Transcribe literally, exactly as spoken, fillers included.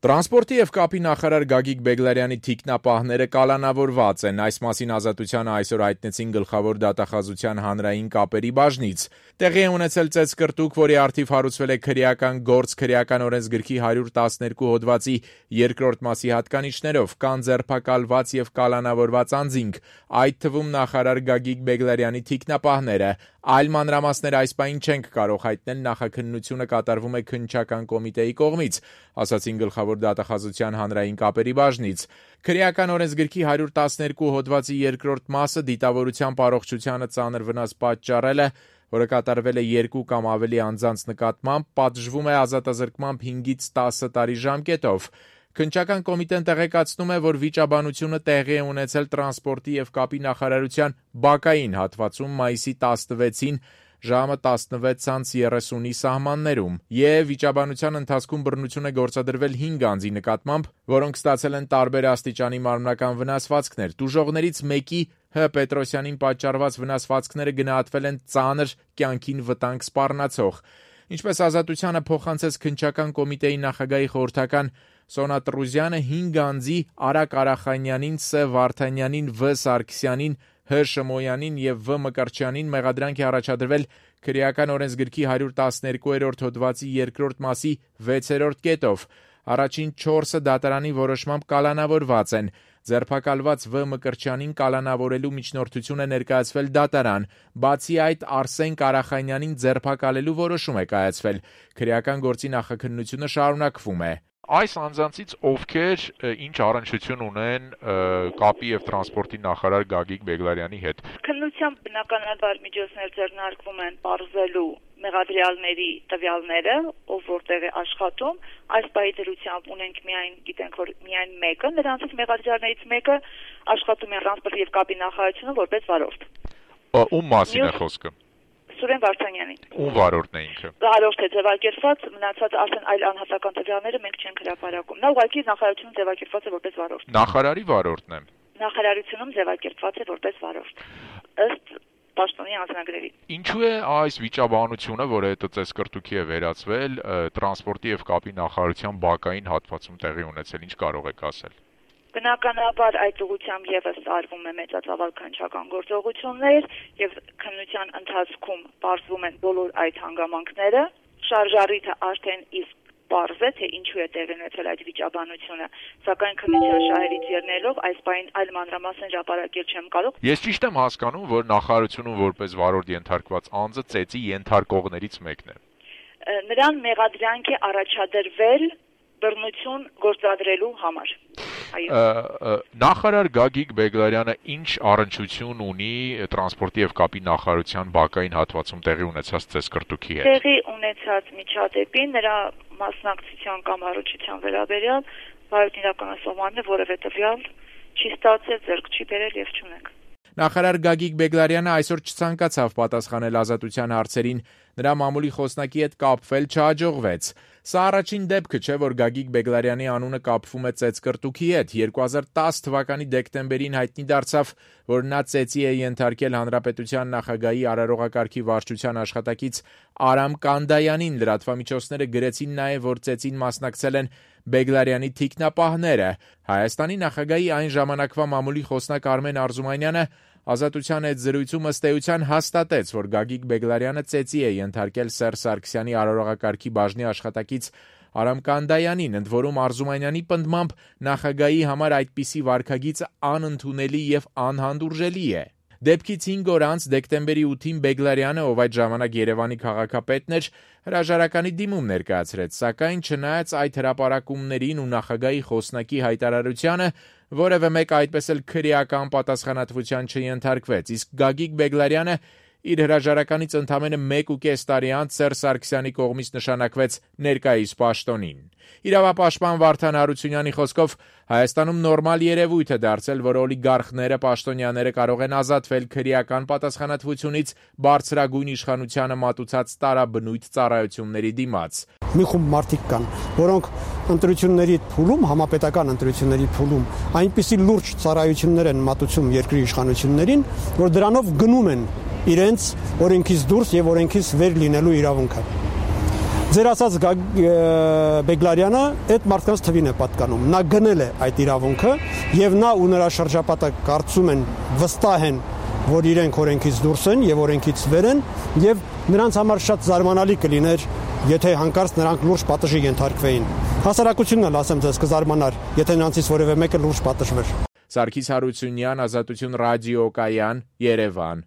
Տրանսպորտի եւ կապի նախարար Գագիկ Բեգլարյանի թիկնապահները կալանավորված են։ Այս մասին Ազատությանը այսօր հայտնեցին Գլխավոր դատախազության հանրային կապերի բաժնից։ Տեղի է ունեցել ծեծկրտուկ, որի առթիվ հարուցվել է քրեական գործ քրեական օրենսգրքի հարյուր տասներկու հոդվածի երկրորդ մասի հատկանիշներով, կան ձերբակալված եւ կալանավորված անձինք, այդ թվում նախարար Գագիկ Բեգլարյանի թիկնապահները։ Այլ մանրամասներ այս պահին չենք կարող հայտնել, նախաքննությունը կատարվում է քննչական կոմիտեի կողմից, ասացին Գլխավոր դատախազության հանրային կապերի բաժնից։ Քրեական օրենսգրքի հարյուր տասներկու հոդվածի երկրորդ մասը դիտավորության առողջությանը ծանր վնաս պատճառելը, որը կատարվել է երկու կամ ավելի անձանց նկատմամբ, պատժվում է ազատազրկմամբ հինգից տասը տարի ժամկետով։ Քննչական կոմիտեն տեղեկացնում է, որ վիճաբանությունը տեղի է ունեցել տրանսպորտի եւ կապի նախարարության բակային հատվածում մայիսի տասնվեցին ժամը տասնվեց երեսունի սահմաններում, եւ վիճաբանության ընթացքում բռնություն է գործադրվել հինգ անձի նկատմամբ, որոնք ստացել են տարբեր աստիճանի մարմնական վնասվածքներ։ Տուժողներից մեկի Հ. Պետրոսյանին պատճառված վնասվածքները գնահատվել են ծանր, կյանքին վտանգ սպառնացող։ Ինչպես Ազատությանը փոխանցեց քննչական կոմիտեի նախագահի խորհրդական Սոնա Տրուզյանը, հինգ անձի Արա Կարախանյանին, Ս. Վարդանյանին, Վ. Սարգսյանին, Հ. Շմոյանին եւ Վ. Մկրտչյանին մեղադրանք է առաջադրվել քրեական օրենսգրքի հարյուր տասներկուերորդ հոդվածի երկրորդ մասի վեցերորդ կետով։ Առաջին չորսը դատարանի որոշմամբ կալանավորված են։ Ձերբակալված Վ. Մկրտչյանին կալանավորելու միջնորդություն է ներկայացվել դատարան։ Բացի այդ, Արսեն Կարախանյանին ձերբակալելու որոշում է կայացվել։ Քրեական գործի նախաքննությունը շարունակվում է։ Այս անձանցից ովքեր ինչ առնչություն ունեն կապի եւ տրանսպորտի նախարար Գագիկ Բեգլարյանի հետ։ Քննությամբ բնականաբար միջոցներ ձեռնարկվում են պարզելու մեղադրյալների տվյալները, ով որտեղ է աշխատում։ Այս պահի դրությամբ ունենք միայն, գիտենք, որ միայն մեկը, նրանցից մեղադրյալներից մեկը աշխատում է տրանսպորտի եւ կապի նախարարությունում որպես վարորդ։ Ում մասին է խոսքը։ Սուրեն Վարդանյանին։ Ում վարորդն է ինքը։ Վարորդ է ձևակերպված, մնացած արդեն այլ անհատական տվյալները մենք չենք հրապարակում։ Նա ուղղակի նախարարությունում ձևակերպված է որպես վարորդ։ Նախարարի վարորդն է։ Նախարարությունում ձևակերպված է որպես վարորդ։ Ըստ պաշտոնի անձնագրերի։ Ինչու է այս վիճաբանությունը, որը հետո ծեծկրտուքի է վերածվել, տրանսպորտի եւ կապի նախարարության բակային հատվածում տեղի ունեցել, ինչ կարող եք ասել։ Բնականաբար այդ ուղղությամբ եւս արվում է մեծածավալ քննչական գործողություններ եւ քննության ընթացքում պարզվում են բոլոր այդ հանգամանքները։ Շարժառիթը արդեն իսկ պարզ է, թե ինչու է տեղի ունեցել այդ վիճաբանությունը, սակայն քննության շահերից ելնելով այս պահին այլ մանրամասներ հրապարակել չեմ կարող։ Ես ճիշտ եմ հասկանում, որ նախարարությունում որպես վարորդ ենթարկված անձը ծեծի ենթարկողներից մեկն է։ Նրան մեղադրանք է առաջադրվել բռնություն գործադրելու համար։ Նախարար Գագիկ Բեգլարյանը ինչ առնչություն ունի տրանսպորտի եւ կապի նախարարության բակային հատվածում տեղի ունեցած ծեծկրտուքի հետ։ Տեղի ունեցած միջադեպին նրա մասնակցության կամ առողջության վերաբերյալ վարորդն իրականացողն է, որևէ տվյալ չի ստացել, ձեռք չի բերել եւ չունենք։ Նախարար Գագիկ Բեգլարյանը այսօր չցանկացավ պատասխանել Ազատության հարցերին, նրա մամուլի խոսնակի հետ կապվել չհաջողվեց։ Սա առաջին դեպքը չէ, որ Գագիկ Բեգլարյանի անունը կապվում է ծեծկրտուքի հետ։ երկու հազար տասը թվականի դեկտեմբերին հայտնի դարձավ, որ նա ծեծի է ենթարկել հանրապետության նախագահի արարողակարգի վարչության աշխատակից Արամ Կանդայանին։ Լրատվամիջոցները գրեցին նաև, որ ծեծին մասնակցել են Բեգլարյանի թիկնապահները։ Հայաստանի նախագահի այն ժամանակվա մամուլի խոսնակ Արմեն Արզումանյանը Ազատության հետ զրույցում ըստ էության հաստատեց, որ Գագիկ Բեգլարյանը ծեծի է ենթարկել Սերժ Սարգսյանի արարողակարգի բաժնի աշխատակից Արամ Կանդայանին, ընդ որում Արզումանյանի պնդմամբ նախագահի համար այդպիսի վարքագիծ անընդունելի եւ անհանդուրժելի է։ Դեպքից հինգ օր անց դեկտեմբերի ութին Բեգլարյանը, ով այդ ժամանակ Երևանի քաղաքապետն էր, հրաժարականի դիմում ներկայացրեց, սակայն չնայած այդ հրապարակումներին ու նախագահի խոսնակի հայտարարությանը, որևէ մեկ այդպես էլ քրեական պատասխանատվության չենթարկվեց, իսկ Գագիկ Բեգլարյանը իր հրաժարականից ընդամենը մեկ ու կես տարի անց Սերժ Սարգսյանի կողմից նշանակվեց ներկայիս պաշտոնին։ Իրավապաշտպան Վարդան Հարությունյանի խոսքով Հայաստանում նորմալ երևույթ է դարձել, որ օլիգարխները, պաշտոնյաները կարող են ազատվել քրեական պատասխանատվությունից բարձրագույն իշխանությանը մատուցած տարաբնույթ ծառայությունների դիմաց։ Մի խումբ մարդիկ կան, որոնք ընտրությունների փուլում, համապետական ընտրությունների փուլում այնպիսի լուրջ ծառայություններ են մատուցում երկրի իշխանություններին, որ դրանով գնում են իրենց օրենքից դուրս եւ օրենքից վեր լինելու իրավունքը։ Ձեր ասած Բեգլարյանը այդ մարդկանց թվին է պատկանում։ Նա գնել է այդ իրավունքը եւ նա ու նրա շրջապատը կարծում են, վստահ են, որ իրենք օրենքից դուրս են եւ օրենքից վեր են եւ նրանց համար շատ զարմանալի կլիներ, եթե հանկարծ նրանք լուրջ պատժի ենթարկվեին։ Հասարակությունն էլ ասեմ ձեզ կզարմանար, եթե նրանցից որևէ մեկը լուրջ պատժվեր։ Սարգիս Հարությունյան, Ազատություն ռադիոկայան, Երևան։